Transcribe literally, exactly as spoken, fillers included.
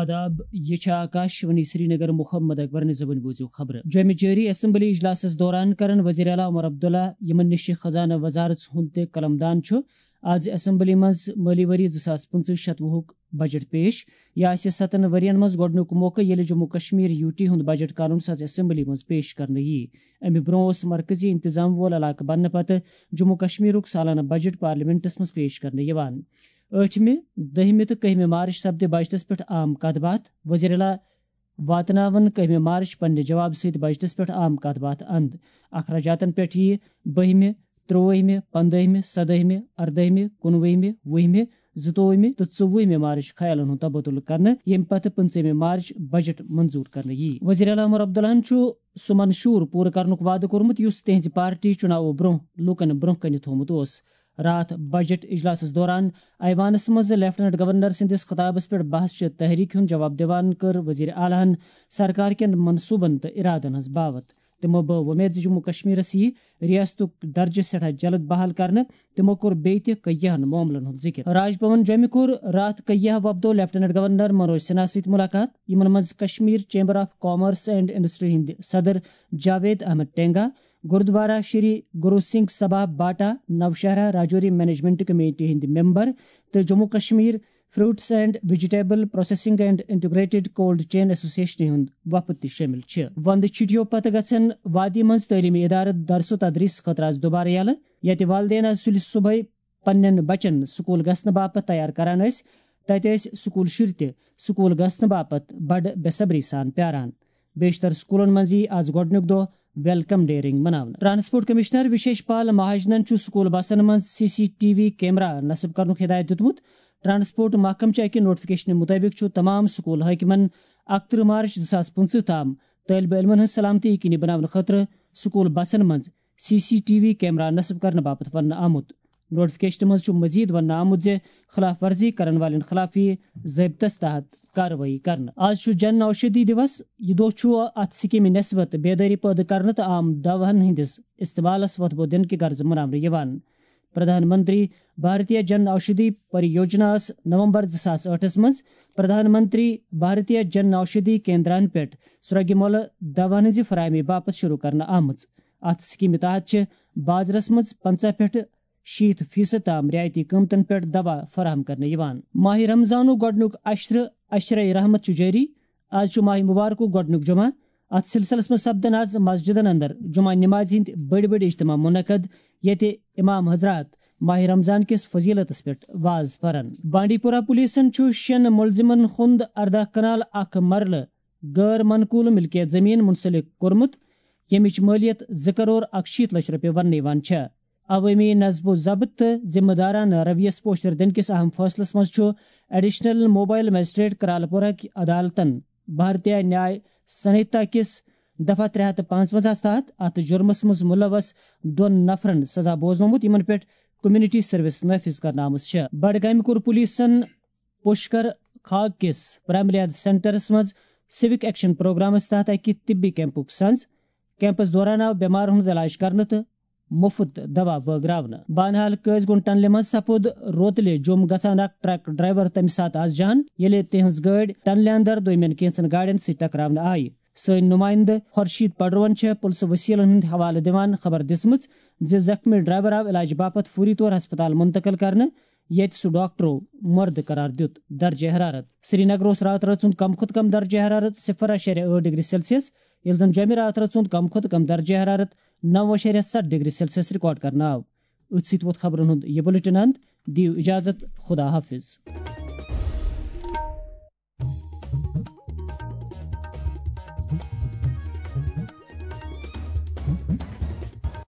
آداب، یہِ چھِ آکاش وانی سرینگر۔ محمد اکبر نِظامَن بوٗزِو خبرٕ۔ جوٚمہِ جٲری اسمبلی اجلاسَس دوران کرن وزیر اعلیٰ عمر عبداللہ، یِمن نِش خزانہٕ وزارت ہُنٛد تہِ قلمدان چھُ، آز اسمبلی منٛز مٲلی ؤری زٕ ساس پٕنٛژٕہ شتوُہُک بجٹ پیش۔ یہِ آسہِ ستن ؤرین منٛز گۄڈٕنیُک موقعہٕ، ییٚلہِ جموں کشمیر یو ٹی ہُنٛد بجٹ قانون ساز اسمبلی منٛز پیش کرنہٕ یِیہِ۔ اَمہِ برٛونٛہہ اوس مرکزی انتظام وول علاقہٕ بننہٕ پتہٕ جموں کشمیرُک سالانہٕ بجٹ پارلیمنٹس منٛز پیش کرنہٕ یِوان۔ ٲٹھمہِ، دٔہمہِ تہٕ کٔہمہِ مارچ سپدِ بجٹس پٮ۪ٹھ عام کتھ باتھ۔ وزیر اعلیٰ واتناون کٔہمہِ مارچ پننہِ جواب سۭتۍ بجٹس پٮ۪ٹھ عام کتھ باتھ اند۔ اخراجاتن پٮ۪ٹھ یِیہِ بٔہمہِ، ترٛووُہمہِ، پندٲہمہِ، سدٲہمہِ، اردٲہمہِ، کُنوُہمہِ، وُہمہِ، زٕتووُہمہِ تہٕ ژوٚوُہمہِ مارچ خیالن ہُنٛد تبادلہٕ کرنہٕ، ییٚمہِ پتہٕ پٕنٛژٕہمہِ مارچ بجٹ منظور کرنہٕ یِیہِ۔ وزیر اعلیٰ عمر عبداللہن چھُ سُہ منشور پوٗرٕ کرنُک وعدٕ کوٚرمُت، یُس تِہنٛزِ پارٹی چُناوو برٛونٛہہ لوٗکن برٛونٛہہ کنہِ تھوٚومُت اوس۔ راتھ بجٹ اجلاسس دوران ایوانس منٛز لیفٹیننٹ گورنر سٕنٛدِس خطابس پٮ۪ٹھ بحث چہِ تحریک ہُنٛد جواب دِوان کٔر وزیر اعلیٰ ہن سرکار کٮ۪ن منصوٗبن تہٕ ارادن ہٕنٛز باوت۔ تِمو بٲو وۄمید زِ جموں کشمیرس یِیہِ ریاستُک درجہٕ سٮ۪ٹھاہ جلد بحال کرنہٕ۔ تِمو کوٚر بیٚیہِ تہِ کیٚہن معاملن ہُنٛد ذِکِر۔ راج بھون جوٚمہِ کوٚر راتھ کیٚہو وفدو لیفٹیننٹ گورنر منوج سنہا سۭتۍ مُلاقات، یِمن منٛز Kashmir chamber of commerce and industry ہٕنٛدۍ صدر جاوید احمد ٹینگا، گردوارہ شری گرو سنگھ سبھا باٹا، نوشہرہ راجوری مینجمنٹ کمیٹی ہٕنٛدۍ ممبر تہٕ Jammu Kashmir fruits and vegetable processing and integrated cold chain ایسوسیشنہِ ہُنٛد وفد تہِ شٲمِل چھِ۔ وندٕ چھُٹیو پتہٕ گژھن وادی منٛز تعلیمی ادارٕ درس و تدریس خٲطرٕ آز دوبارٕ یلہٕ، یتہِ والدین آز سُلہِ صبحٲے پننٮ۪ن بچن سکول گژھنہٕ باپتھ تیار کران ٲسۍ، تتہِ ٲسۍ سکول شُرۍ تہِ سکول گژھنہٕ باپتھ بڑٕ بے صبری سان پیاران۔ بیشتر سکولن منٛز یی آز گۄڈٕنیُک دۄہ ویلکم ڈے رنگ مناونہٕ۔ ٹرانسپورٹ کمشنر وشیش پال مہاجنن چھُ سکول بسن منٛز C C T V camera نصب کرنُک ہدایت دیُتمُت۔ ٹرانسپورٹ محکمہٕ چہِ اکہِ نوٹیفکیشنہِ مُطٲبِق چھُ تمام سکول حٲکمن اکترٕہ مارچ زٕ ساس پٕنٛژٕہ تام طٲلبہِ علمن ہٕنٛز سلامتی یقینی بناونہٕ خٲطرٕ سکول بسن منٛز C C T V camera نصب کرنہٕ باپتھ وننہٕ آمُت۔ نوٹیفکیشنہِ منٛز چھُ مزید وننہٕ آمُت زِ خلاف ورزی کرن والٮ۪ن خلاف یِیہِ ضٲبطس تحت کاروٲیی کرنہٕ۔ آز چھُ جن اوشدھی دیوس۔ یہِ دۄہ چھُ اتھ سکیمہِ نسبت بیدٲری پٲدٕ کرنہٕ تہٕ عام دوہن ہٕنٛدِس استعمالس وۄتھٕ بوٚو دِنہٕ کہِ غرضہٕ مناونہٕ یِوان۔ پردھان منتری بھارتیہ جن اوشدھی پریوجنا ٲس نومبر زٕ ساس ٲٹھس منٛز پردھان منتری بھارتیہ جن اوشدھی کیندران پٮ۪ٹھ سرٛوگہِ مۄلہٕ دوہن ہٕنٛزِ فراہمی باپتھ شروع کرنہٕ آمٕژ۔ اتھ سکیمہِ تحت چھِ بازرس منٛز پنٛژاہ پٮ۪ٹھ شیٖتھ فیصد تام رعایتی قۭمتن پٮ۪ٹھ دوا فراہم کرنہٕ یِوان۔ ماہِ رمضانُک گۄڈٕنیُک عشرٕ، عشرے رحمت چھُ جٲری۔ آز چھُ ماہِ مبارکُک گۄڈٕنیُک جمعہ۔ اتھ سلسلس منٛز سپدن آز مسجدن اندر جمعہ نمازِ ہٕنٛدۍ بٔڑۍ بٔڑۍ اجتماع منعقد، ییٚتہِ امام حضرات ماہِ رمضان کِس فضیلتس پٮ۪ٹھ واز پرن۔ بانڈی پورہ پولیسن چھُ شٮ۪ن مُلزِمن ہُنٛد ارداہ کنال اکھ مرلہٕ غٲر منقول ملکیت زمین منسلک کوٚرمُت، ییٚمِچ مٲلیت زٕ کرور اکشیٖتھ لچھ رۄپیہِ وننہٕ یِوان چھےٚ۔ عوٲمی نصب و ضبط تہٕ ذمہ دارانہٕ رویس پوچھر دِنہٕ کِس اہم فٲصلس منٛز چھُ ایڈیشنل موبائل مجسٹریٹ کرالپورہ کہِ عدالتن بھارتیہ نیاے سنہتا کِس دفعہ ترٛےٚ ہتھ تہٕ پانٛژونزاہس تحت اتھ جرمس منٛز ملوث دۄن نفرن سزا بوزنومُت، یِمن پٮ۪ٹھ کمیونٹی سروس نافذ کرنہٕ آمٕژ چھےٚ۔ بڈگامہِ کوٚر پولیسن پُشکر کھاگ کِس پرائمری ہیلتھ سینٹرس منٛز سیوک ایکشن پروگرامس تحت اکہِ طبی کیمپُک سنز۔ کیمپس دوران آو بیمارن ہُنٛد علاج کرنہٕ تہٕ مُفت دوا بٲگراونہٕ۔ بانہال قٲضۍ گُنڈ ٹنلہِ منٛز سپُد روتلہِ جوٚم گژھان اکھ ٹرک ڈرائیور تَمہِ ساتہٕ از جان، ییٚلہِ تِہنٛز گٲڑۍ ٹنلہِ اندر دوٚیمٮ۪ن کینٛژن گاڑٮ۪ن سۭتۍ ٹکراونہٕ آیہِ۔ سٲنۍ نُمٲیندٕ خورشید پڈروَن چھےٚ پُلسہٕ وسیلن ہُنٛد حوالہٕ دِوان خبر دِژمٕژ زِ زخمی ڈرائیور آو علاج باپتھ فوری طور ہسپتال منتقل کرنہٕ، ییٚتہِ سُہ ڈاکٹرو مردٕ قرار دیُت۔ درجہ حرارت سری نگر اوس راتہٕ رٲژ ہُنٛد کم کھۄتہٕ کم درجہ حرارت صفر اعشاریہ ٲٹھ ڈگری سیلسیس، ییٚلہِ زن جوٚمہِ راتہٕ رٲژ ہُنٛد کم کھۄتہٕ کم درجہ حرارت نو اعشاریہ ستھ ڈگری سیلسیس ریکارڈ کرنہٕ آو۔ أتھۍ سۭتۍ ووت خبرن ہُنٛد یہِ بلیٹن اند۔ دِیِو اجازت، خدا حافظ۔